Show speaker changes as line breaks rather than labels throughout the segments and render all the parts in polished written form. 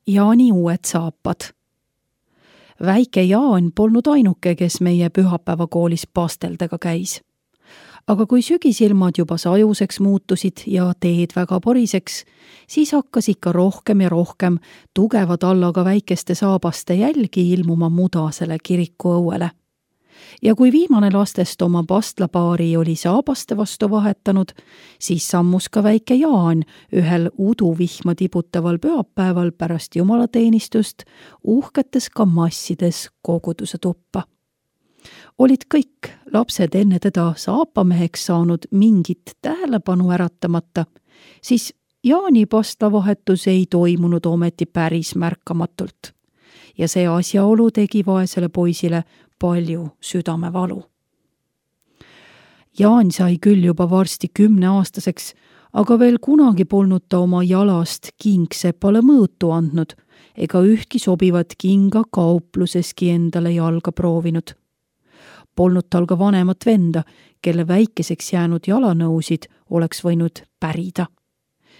Jaani uued saapad. Väike Jaan polnud ainuke, kes meie pühapäevakoolis pasteldega käis. Aga kui sügisilmad juba sajuseks muutusid ja teed väga poriseks, siis hakkas ikka rohkem ja rohkem tugeva tallaga väikeste saabaste jälgi ilmuma mudasele kirikuõuele. Ja kui viimane lastest oma pastlapaari oli saabaste vastu vahetanud, siis sammus ka väike Jaan ühel uduvihma tibutaval pühapäeval pärast jumalateenistust uhketes kamassides koguduse tuppa. Olid kõik lapsed enne teda saapameheks saanud mingit tähelepanu äratamata, siis Jaani pastlavahetus ei toimunud ometi päris märkamatult. Ja see asjaolu tegi vaesele poisile palju südamevalu. Jaan sai küll juba varsti 10-aastaseks, aga veel kunagi polnud ta oma jalast kingsepale mõõtu andnud ega ühtki sobivat kinga kaupluseski endale jalga proovinud. Polnud tal ka vanemat venda, kelle väikeseks jäänud jalanõusid oleks võinud pärida.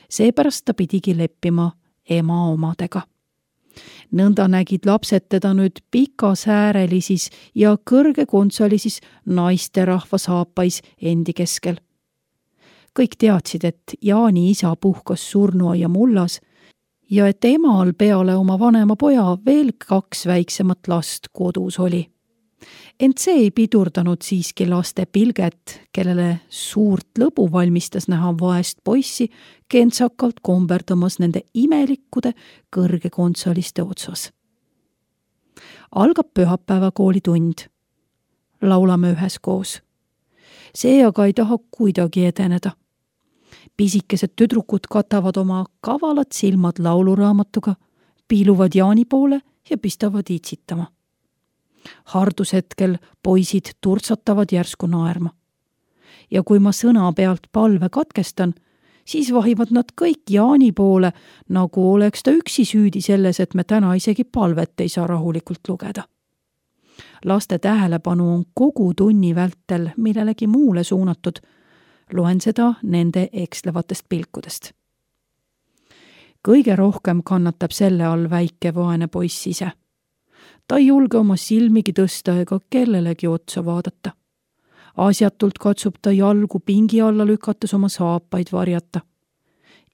Seepärast ta pidigi leppima ema omadega. Nõnda nägid lapsed teda nüüd pikasäärelisis ja kõrgekontsalisis naisterahva saapais endi keskel. Kõik teadsid, et Jaani isa puhkas surnuaia mullas ja et emal peale oma vanema poja veel 2 väiksemat last kodus oli. Ent see ei pidurdanud siiski laste pilget, kellele suurt lõbu valmistas näha vaest poissi kentsakalt komberdamas nende imelikkude kõrgekontsaliste otsas. Algab pühapäevakooli tund. Laulame üheskoos. See aga ei taha kuidagi edeneda. Pisikesed tüdrukud katavad oma kavalad silmad lauluraamatuga, piiluvad Jaani poole ja pistavad itsitama. Hardushetkel poisid turtsatavad järsku naerma. Ja kui ma sõna pealt palve katkestan, siis vahivad nad kõik Jaani poole, nagu oleks ta üksi süüdi selles, et me täna isegi palvet ei saa rahulikult lugeda. Laste tähelepanu on kogu tunni vältel millelegi muule suunatud. Loen seda nende ekslevatest pilkudest. Kõige rohkem kannatab selle all väike vaene poiss ise. Ta ei julge oma silmigi tõsta ega kellelegi otsa vaadata. Asjatult katsub ta jalgu pingi alla lükates oma saapaid varjata.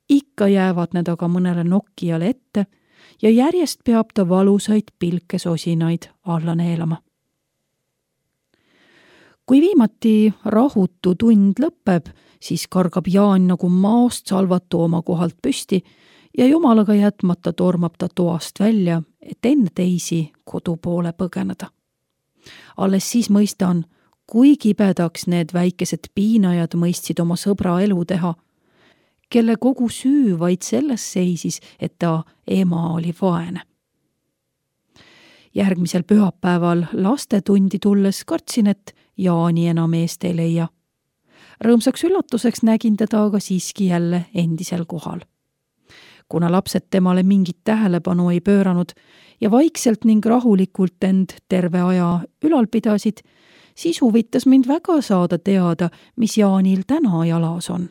Ikka jäävad need aga mõnele nokkijale ette ja järjest peab ta valusaid pilkesosinaid alla neelama. Kui viimati rahutu tund lõpeb, siis kargab Jaan nagu maast salvatu oma kohalt püsti ja jumalaga jätmata tormab ta toast välja, et enne teisi kodu poole põgeneda. Alles siis mõistan, kui kibedaks need väikesed piinajad mõistsid oma sõbra elu teha, kelle kogu süü vaid selles seisis, et ta ema oli vaene. Järgmisel pühapäeval lastetundi tulles kartsin, et Jaani enam eest ei leia. Rõõmsaks üllatuseks nägin teda aga siiski jälle endisel kohal. Kuna lapsed temale mingit tähelepanu ei pööranud ja vaikselt ning rahulikult end terve aja ülal pidasid, siis huvitas mind väga saada teada, mis Jaanil täna jalas on.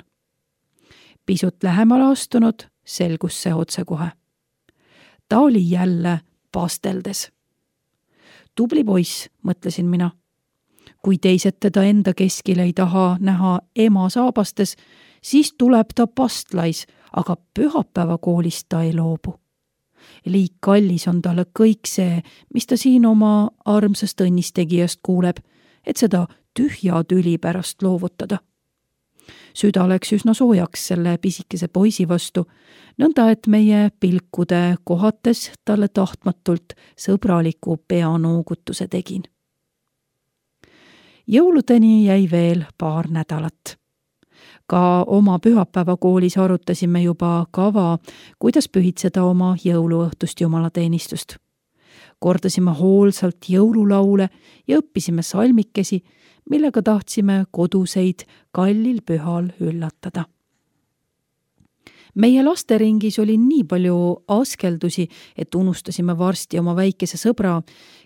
Pisut lähemale astunud, selgus see otsekohe. Ta oli jälle pasteldes. Tubli poiss, mõtlesin mina. Kui teised teda enda keskil ei taha näha ema saabastes, siis tuleb ta pastlais, aga pühapäevakoolist ta ei loobu. Liik kallis on talle kõik see, mis ta siin oma armsast õnnistegijast kuuleb, et seda tühja tüli pärast loovutada. Süda läks üsna soojaks selle pisikese poisi vastu, nõnda et meie pilkude kohates talle tahtmatult sõbraliku peanoogutuse tegin. Jõuludeni jäi veel paar nädalat. Ka oma pühapäevakoolis arutasime juba kava, kuidas pühitseda oma jõuluõhtust jumalateenistust. Kordasime hoolsalt jõululaule ja õppisime salmikesi, millega tahtsime koduseid kallil pühal üllatada. Meie lasteringis oli nii palju askeldusi, et unustasime varsti oma väikese sõbra,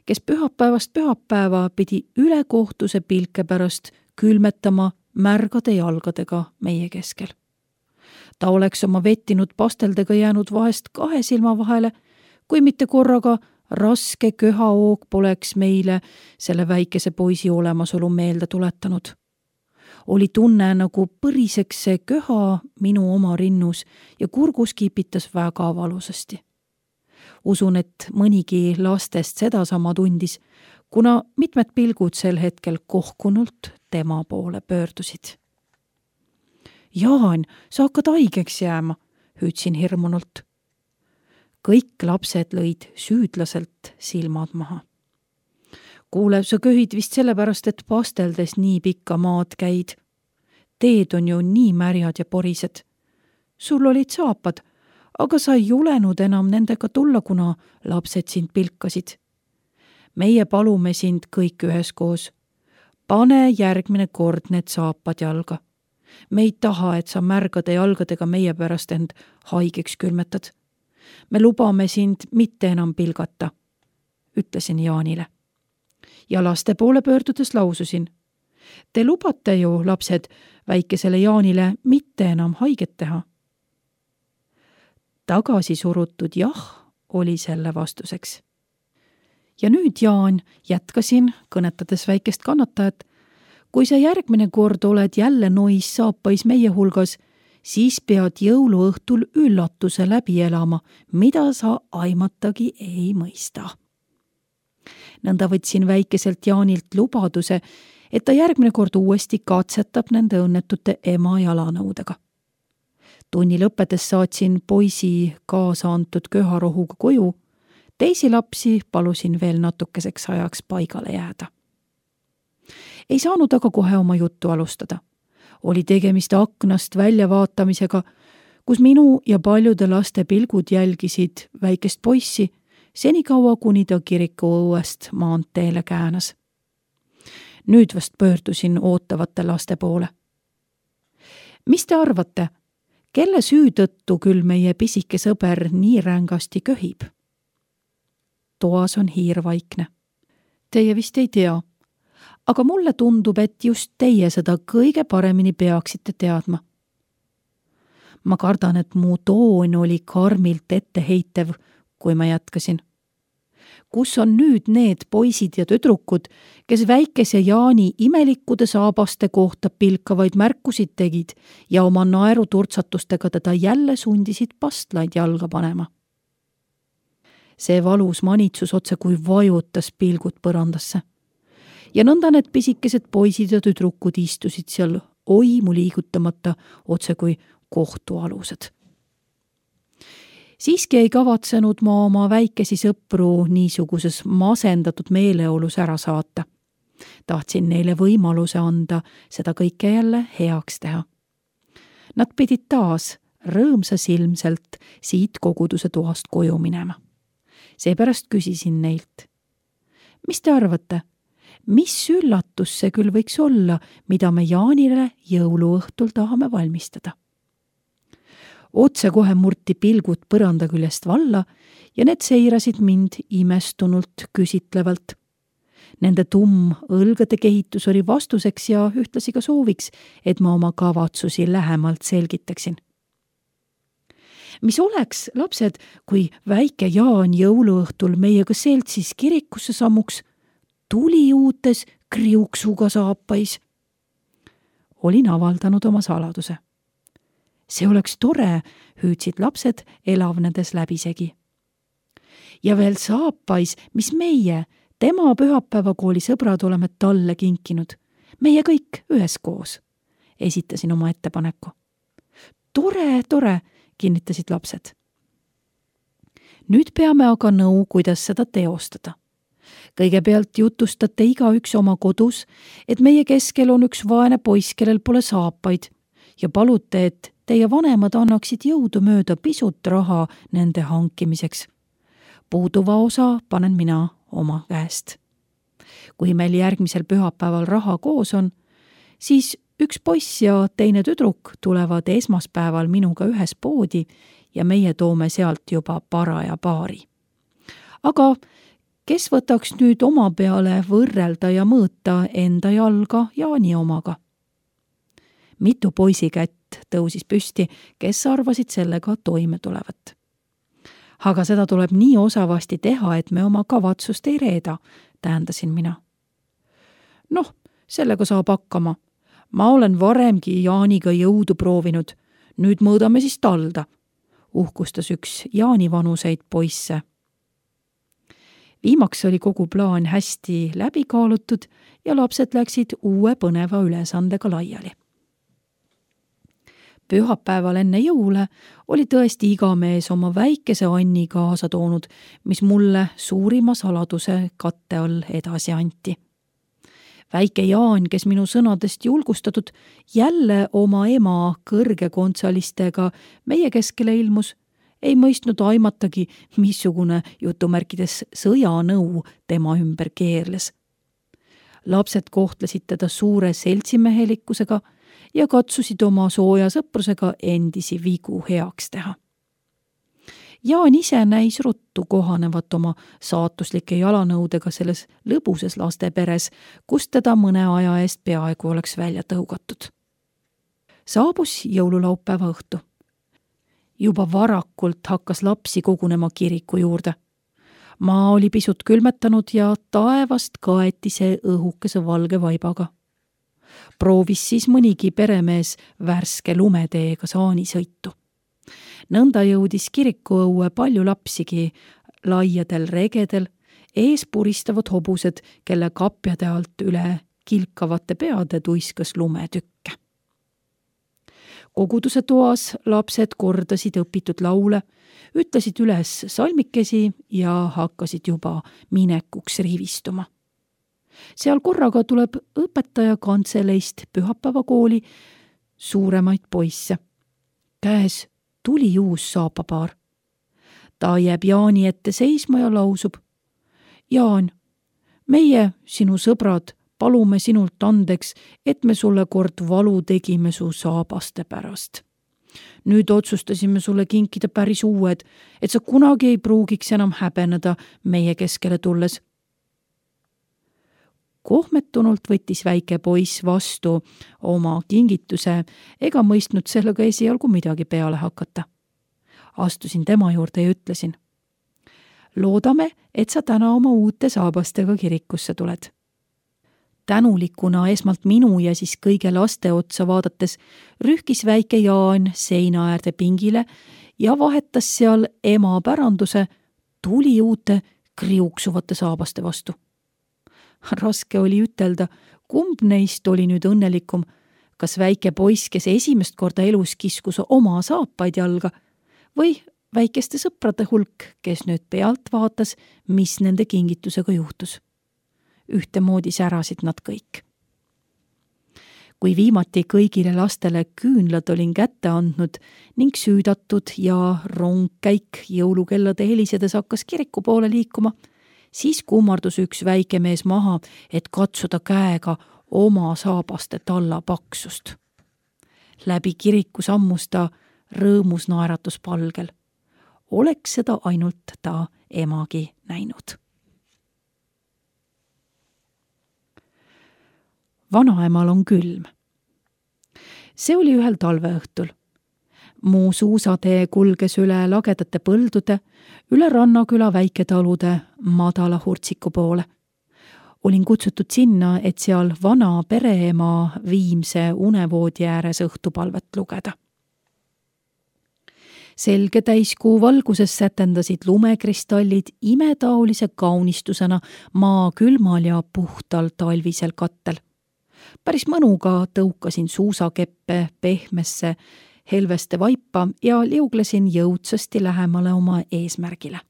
kes pühapäevast pühapäeva pidi ülekohtuse pilke pärast külmetama märgade jalgadega meie keskel. Ta oleks oma vettinud pasteldega jäänud vahest 2 silma vahele, kui mitte korraga raske köhaoog poleks meile selle väikese poisi olemasolu meelde tuletanud. Oli tunne, nagu põriseks see köha minu oma rinnus ja kurgus kipitas väga valusasti. Usun, et mõnigi lastest sedasama tundis, kuna mitmed pilgud sel hetkel kohkunult tema poole pöördusid. Jaan, sa hakkad haigeks jääma, hüüdsin hirmunult. Kõik lapsed lõid süüdlaselt silmad maha. Kuule, sa köhid vist sellepärast, et pasteldes nii pikka maad käid. Teed on ju nii märjad ja porised. Sul olid saapad, aga sa ei julenud enam nendega tulla, kuna lapsed sind pilkasid. Meie palume sind kõik üheskoos. Pane järgmine kord need saapad jalga. Me ei taha, et sa märgade jalgadega meie pärast end haigeks külmetad. Me lubame sind mitte enam pilgata, ütlesin Jaanile. Ja laste poole pöördudes laususin. Te lubate ju, lapsed, väikesele Jaanile mitte enam haiget teha. Tagasi surutud jah oli selle vastuseks. Ja nüüd, Jaan, jätkasin, kõnetades väikest kannatajat, kui sa järgmine kord oled jälle nois saapais meie hulgas, siis pead jõuluõhtul üllatuse läbi elama, mida sa aimatagi ei mõista. Nõnda võtsin väikeselt Jaanilt lubaduse, et ta järgmine kord uuesti katsetab nende õnnetute ema jalanõudega. Tunni lõppedes saatsin poisi kaasa antud köharohuga koju, teisi lapsi palusin veel natukeseks ajaks paigale jääda. Ei saanud aga kohe oma juttu alustada. Oli tegemist aknast väljavaatamisega, kus minu ja paljude laste pilgud jälgisid väikest poissi, senikaua kuni ta kiriku õuest maanteele käänas. Nüüd vast pöördusin ootavate laste poole. Mis te arvate, kelle süü tõttu küll meie pisike sõber nii rängasti köhib? Toas on hiir vaikne. Teie vist ei tea, aga mulle tundub, et just teie seda kõige paremini peaksite teadma. Ma kardan, et mu toon oli karmilt etteheitev, kui ma jätkasin. Kus on nüüd need poisid ja tüdrukud, kes väikese Jaani imelikkude saabaste kohta pilkavaid märkusid tegid ja oma naeruturtsatustega teda jälle sundisid pastlaid jalga panema? See valus manitsus otse kui vajutas pilgud põrandasse. Ja nõnda need pisikesed poisid ja tüdrukud istusid seal oimu liigutamata otse kui kohtualused. Siiski ei kavatsenud ma oma väikesi sõpru niisuguses masendatud meeleolus ära saata. Tahtsin neile võimaluse anda seda kõike jälle heaks teha. Nad pidid taas rõõmsasilmselt siit koguduse toast koju minema. Seepärast küsisin neilt. Mis te arvate, mis üllatus see küll võiks olla, mida me Jaanile jõuluõhtul tahame valmistada? Otse kohe murti pilgud põranda küljest valla ja need seirasid mind imestunult küsitlevalt. Nende õlgade kehitus oli vastuseks ja ühtlasi ka sooviks, et ma oma kavatsusi lähemalt selgitaksin. Mis oleks, lapsed, kui väike Jaan jõuluõhtul meiega seltsis kirikusse sammuks, tuli uutes kriuksuga saapais? Olin avaldanud oma saladuse. See oleks tore, hüüdsid lapsed elavnedes läbisegi. Ja veel saapais, mis meie, tema pühapäevakooli sõbrad oleme talle kinkinud. Meie kõik üheskoos, esitasin oma ettepaneku. Tore, kinnitasid lapsed. Nüüd peame aga nõu, kuidas seda teostada. Kõigepealt jutustate igaüks oma kodus, et meie keskel on üks vaene poiss, kellel pole saapaid ja palute, et teie vanemad annaksid jõudu mööda pisut raha nende hankimiseks. Puuduva osa panen mina oma käest. Kui meil järgmisel pühapäeval raha koos on, siis üks poiss ja teine tüdruk tulevad esmaspäeval minuga ühes poodi ja meie toome sealt juba paraja paari. Aga kes võtaks nüüd oma peale võrrelda ja mõõta enda jalga Jaani omaga? Mitu poisi kätt tõusis püsti, kes arvasid sellega toime tulevat. Aga seda tuleb nii osavasti teha, et me oma kavatsust ei reeda, tähendasin mina. Noh, sellega saab hakkama. Ma olen varemgi Jaaniga jõudu proovinud. Nüüd mõõdame siis talda, uhkustas üks Jaani vanuseid poisse. Viimaks oli kogu plaan hästi läbi kaalutud ja lapsed läksid uue põneva ülesandega laiali. Pühapäeval enne jõule oli tõesti iga mees oma väikese Anni kaasa toonud, mis mulle suurima saladuse katte all edasi anti. Väike Jaan, kes minu sõnadest julgustatud jälle oma ema kõrgekontsalistega meie keskele ilmus, ei mõistnud aimatagi, missugune jutumärkides sõjanõu tema ümber keerles. Lapsed kohtlesid teda suure seltsimehelikkusega ja katsusid oma sooja sõprusega endisi vigu heaks teha. Jaan ise näis ruttu kohanevat oma saatuslike jalanõudega selles lõbusas lasteperes, kus teda mõne aja eest peaaegu oleks välja tõugatud. Saabus jõululaupäeva õhtu. Juba varakult hakkas lapsi kogunema kiriku juurde. Maa oli pisut külmetanud ja taevast kaeti see õhukese valge vaibaga. Proovis siis mõnigi peremees värske lumeteega saanisõitu. Nõnda jõudis kirikuõue palju lapsigi, laiadel regedel, ees puristavad hobused, kelle kapjade alt üle kilkavate peade tuiskas lumetükke. Koguduse toas lapsed kordasid õpitud laule, ütlesid üles salmikesi ja hakkasid juba minekuks rivistuma. Seal korraga tuleb õpetaja kantseleist pühapäevakooli suuremaid poisse. Käes tuli uus saapapaar. Ta jääb Jaani ette seisma ja lausub. Jaan, meie, sinu sõbrad, palume sinult andeks, et me sulle kord valu tegime su saabaste pärast. Nüüd otsustasime sulle kinkida päris uued, et sa kunagi ei pruugiks enam häbeneda meie keskele tulles. Kohmetunult võttis väike poiss vastu oma kingituse ega mõistnud sellega esialgu midagi peale hakata. Astusin tema juurde ja ütlesin. Loodame, et sa täna oma uute saabastega kirikusse tuled. Tänulikuna esmalt minu ja siis kõige laste otsa vaadates rühkis väike Jaan seina äärde pingile ja vahetas seal ema päranduse tuli uute kriuksuvate saabaste vastu. Raske oli ütelda, kumb neist oli nüüd õnnelikum, kas väike poiss, kes esimest korda elus kiskus oma saapaid jalga, või väikeste sõprade hulk, kes nüüd pealt vaatas, mis nende kingitusega juhtus. Ühtemoodi särasid nad kõik. Kui viimati kõigile lastele küünlad olin kätte andnud ning süüdatud ja rongkäik jõulukellade helisedes hakkas kiriku poole liikuma, siis kummardus üks väike mees maha, et katsuda käega oma saabaste talla paksust. Läbi kiriku sammus ta rõõmus naeratuspalgel. Oleks seda ainult ta emagi näinud. Vanaemal on külm. See oli ühel talveõhtul. Mu suusatee kulges üle lagedate põldude, üle Rannaküla väiketalude madala hurtsiku poole. Olin kutsutud sinna, et seal vana pereema Viimse unevoodi ääres õhtupalvet lugeda. Selge täiskuu valguses sätendasid lumekristallid imetaolise kaunistusena maa külmal ja puhtal talvisel kattel. Päris mõnuga tõukasin suusakeppe pehmesse helveste vaipa ja liuglesin jõudsasti lähemale oma eesmärgile.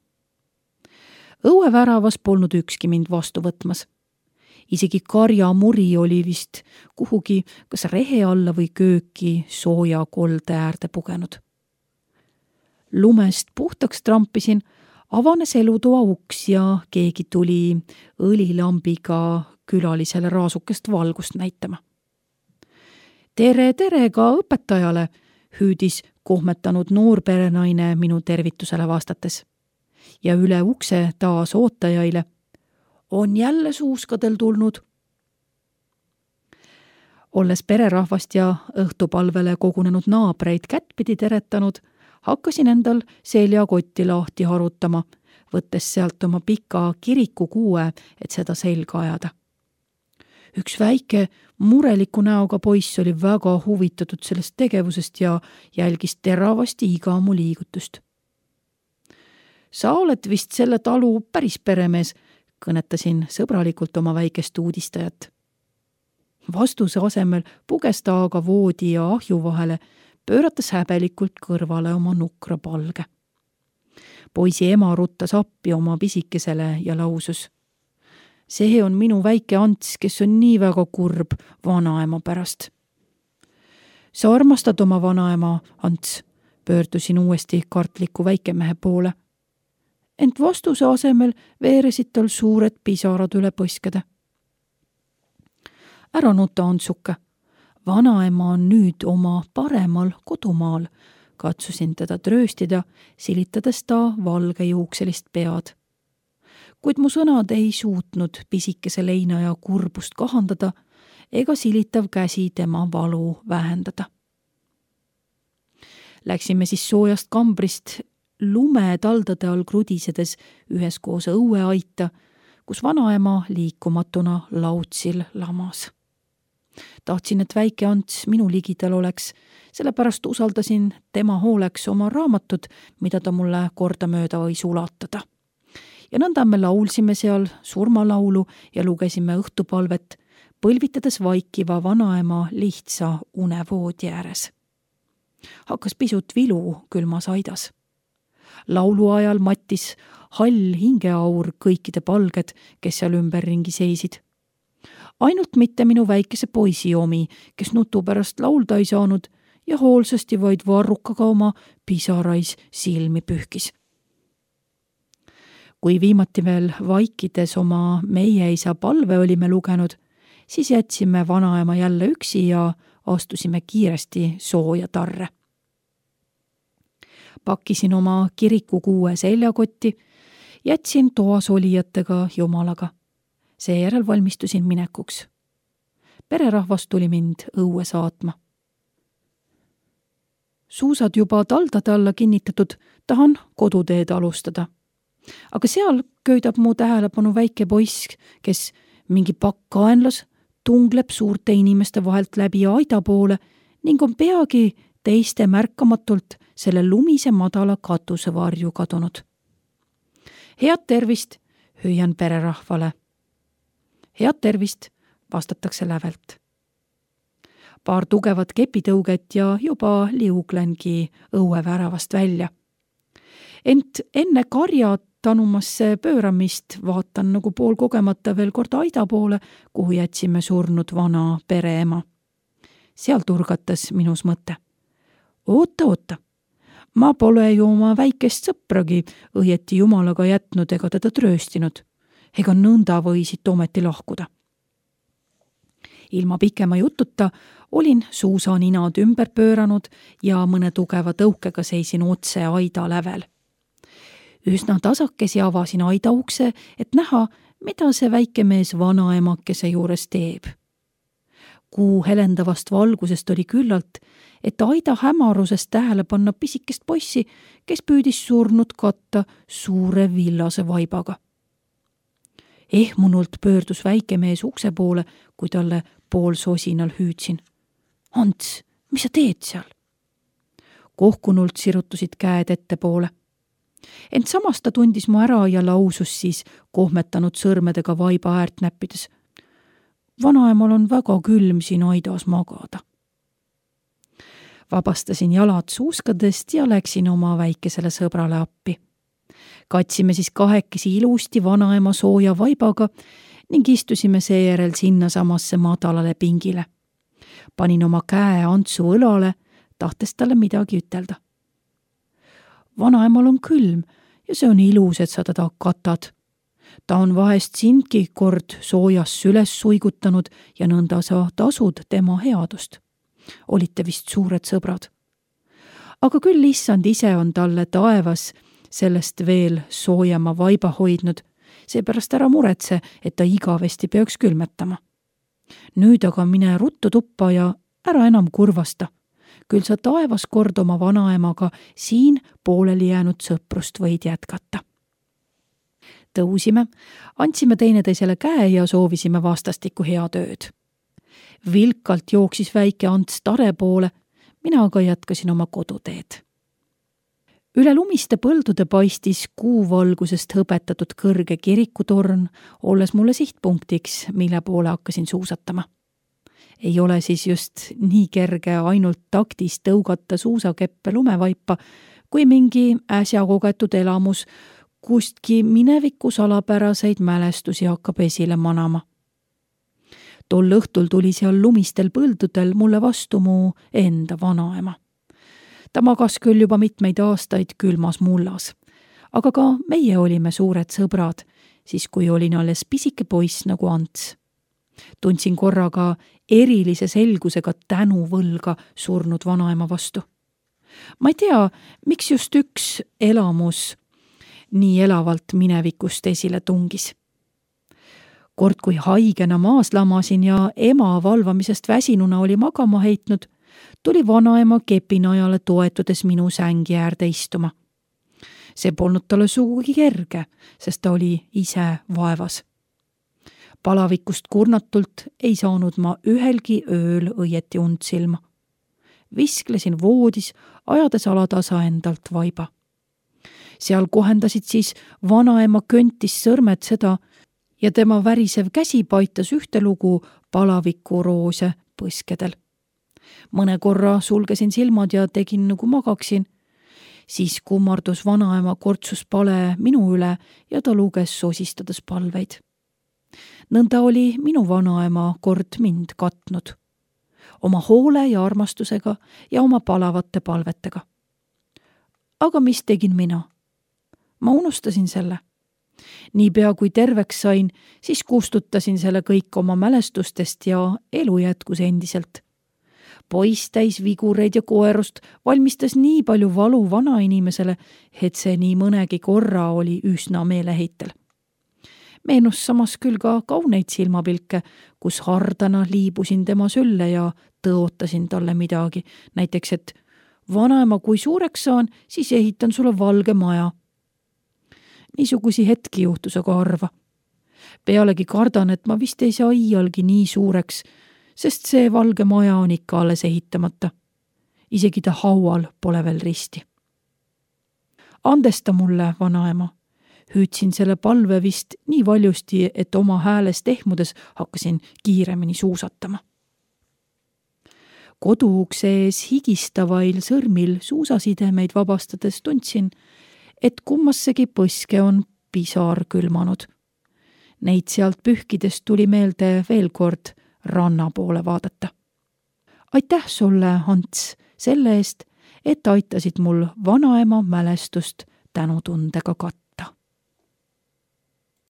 Õueväravas polnud ükski mind vastu võtmas. Isegi karjamuri oli vist kuhugi kas rehe alla või kööki sooja kolde äärde pugenud. Lumest puhtaks trampisin, avanes elutoa uks ja keegi tuli õlilambiga külalisele raasukest valgust näitama. Tere ka õpetajale, hüüdis kohmetanud noorperenaine minu tervitusele vastates. Ja üle ukse taas ootajaile. On jälle suuskadel tulnud. Olles pererahvast ja õhtupalvele kogunenud naabreid kättpidi teretanud, Hakkasin endal seljakotti lahti harutama, võttes sealt oma pika kirikukuue, et seda selga ajada. Üks väike mureliku näoga poiss oli väga huvitatud sellest tegevusest ja jälgis teravasti iga mu liigutust. Sa oled vist selle talu päris peremees, kõnetasin sõbralikult oma väikest uudistajat. Vastuse asemel puges ta aga voodi ja ahju vahele, pöörates häbelikult kõrvale oma nukra palge. Poisi ema ruttas appi oma pisikesele ja lausus: see on minu väike Ants, kes on nii väga kurb vanaema pärast. Sa armastad oma vanaema, Ants, pöördusin uuesti kartliku väikemehe poole. Ent vastuse asemel veeresid tal suured pisarad üle põskede. Ära nuta, Antsuke. Vanaema on nüüd oma paremal kodumaal, katsusin teda trööstida, silitades ta valgejuukselist pead. Kuid mu sõnad ei suutnud pisikese leinaja kurbust kahandada ega silitav käsi tema valu vähendada. Läksime siis soojast kambrist lumetaldade all krudisedes üheskoos õueaita, kus vanaema liikumatuna lautsil lamas. Tahtsin, et väike Ants minu ligidal oleks, sellepärast usaldasin tema hooleks oma raamatut, mida ta mulle kordamööda võis ulatada. Ja nõnda me laulsime seal surmalaulu ja lugesime õhtupalvet, põlvitades vaikiva vanaema lihtsa unevoodi ääres. Hakkas pisut vilu külmas aidas. Laulu ajal mattis hall hingeaur kõikide palged, kes seal ümberringi seisid. Ainult mitte minu väikese poisi omi, kes nutu pärast laulda ei saanud ja hoolsasti vaid varrukaga oma pisarais silmi pühkis. Kui viimati veel vaikides oma meie isa palve olime lugenud, siis jätsime vanaema jälle üksi ja astusime kiiresti sooja tarre. Pakkisin oma kirikukuue seljakotti, jätsin toas olijatega jumalaga. Seejärel valmistusin minekuks. Pererahvas tuli mind õue saatma. Suusad juba taldade alla kinnitatud, tahan koduteed alustada. Aga seal köidab mu tähelepanu väike poiss, kes mingi pakk kaenlas tungleb suurte inimeste vahelt läbi aida poole ning on peagi teiste märkamatult selle lumise madala katuse varju kadunud. Head tervist, hüüan pererahvale. Head tervist, vastatakse lävelt. Paar tugevat kepitõuget ja juba liuglengi õueväravast välja. Ent enne karja tanumasse pööramist vaatan nagu pool kogemata veel kord aida poole, kuhu jätsime surnud vana pereema. Seal turgatas minus mõte. Oota, ma pole ju oma väikest sõpragi õieti jumalaga jätnud ega teda trööstinud. Ega nõnda võisid ometi lahkuda. Ilma pikema jututa olin suusaninad ümber pööranud ja mõne tugeva tõukega seisin otse aida lävel. Üsna tasakesi avasin aida ukse, et näha, mida see väike mees vanaemakese juures teeb. Kuu helendavast valgusest oli küllalt, et aida hämarusest tähele panna pisikest poissi, kes püüdis surnud katta suure villase vaibaga. Ehmunult pöördus väike mees ukse poole, kui talle pool sosinal hüüdsin. Ants, mis sa teed seal? Kohkunult sirutusid käed ettepoole. Ent samas ta tundis mu ära ja lausus siis kohmetanud sõrmedega vaiba äärt näppides. Vanaemal on väga külm siin aidas magada. Vabastasin jalad suuskadest ja läksin oma väikesele sõbrale appi. Katsime siis kahekesi ilusti vanaema sooja vaibaga ning istusime seejärel sinna samasse madalale pingile. Panin oma käe Antsu õlale, tahtes talle midagi ütelda. Vanaemal on külm ja see on ilus, et sa teda katad. Ta on vahest sindki kord soojas süles suigutanud ja nõnda sa tasud tema headust. Olite vist suured sõbrad. Aga küll issand ise on talle taevas sellest veel soojama vaiba hoidnud, seepärast ära muretse, et ta igavesti peaks külmetama. Nüüd aga mine ruttu tuppa ja ära enam kurvasta. küll sa taevas kord oma vanaemaga siin pooleli jäänud sõprust võid jätkata. Tõusime, andsime teineteisele käe ja soovisime vastastikku head ööd. Vilkalt jooksis väike Ants Tare poole, mina aga jätkasin oma koduteed. Üle lumiste põldude paistis kuuvalgusest hõbetatud kõrge kirikutorn, olles mulle sihtpunktiks, mille poole hakkasin suusatama. Ei ole siis just nii kerge ainult taktis tõugata suusakeppe lumevaipa, kui mingi äsja kogetud elamus kustki mineviku salapäraseid mälestusi hakkab esile manama. Tol õhtul tuli seal lumistel põldudel mulle vastu mu enda vanaema. Ta magas küll juba mitmeid aastaid külmas mullas, aga ka meie olime suured sõbrad, siis kui olin alles pisike poiss nagu Ants. Tundsin korraga erilise selgusega tänuvõlga surnud vanaema vastu. Ma ei tea, miks just üks elamus nii elavalt minevikust esile tungis. Kord kui haigena maas lamasin ja ema valvamisest väsinuna oli magama heitnud, tuli vanaema kepinajale toetudes minu sängi äärde istuma. See polnud talle sugugi kerge, sest ta oli ise vaevas. Palavikust kurnatult ei saanud ma ühelgi ööl õieti und silma. Visklesin voodis, ajades alatasa endalt vaiba. Seal kohendasid siis vanaema köntis sõrmed seda ja tema värisev käsi paitas ühte lugu palavikuroose põskedel. Mõne korra sulgesin silmad ja tegin nagu magaksin. Siis kummardus vanaema kortsus pale minu üle ja ta luges sosistades palveid. Nõnda oli minu vanaema kord mind katnud. Oma hoole ja armastusega ja oma palavate palvetega. Aga mis tegin mina? Ma unustasin selle. Niipea kui terveks sain, siis kustutasin selle kõik oma mälestustest ja elu jätkus endiselt. Poiss täis vigureid ja koerust valmistas nii palju valu vanainimesele, et see nii mõnegi korra oli üsna meeleheitel. Meenus samas küll ka kauneid silmapilke, kus hardana liibusin tema sülle ja tõotasin talle midagi. Näiteks, et vanaema, kui suureks saan, siis ehitan sulle valge maja. Niisugusi hetki juhtus aga harva. Pealegi kardan, et ma vist ei saa iialgi nii suureks, sest see valge maja on ikka alles ehitamata. Isegi ta haual pole veel risti. Andesta mulle, vanaema. Hüüdsin selle palve vist nii valjusti, et oma häälest ehmudes hakkasin kiiremini suusatama. Koduukse ees higistavail sõrmil suusasidemeid vabastades tundsin, et kummassegi põske on pisar külmanud. Neid sealt pühkides tuli meelde veel kord ranna poole vaadata. Aitäh sulle, Ants, selle eest, et aitasid mul vanaema mälestust tänutundega katta.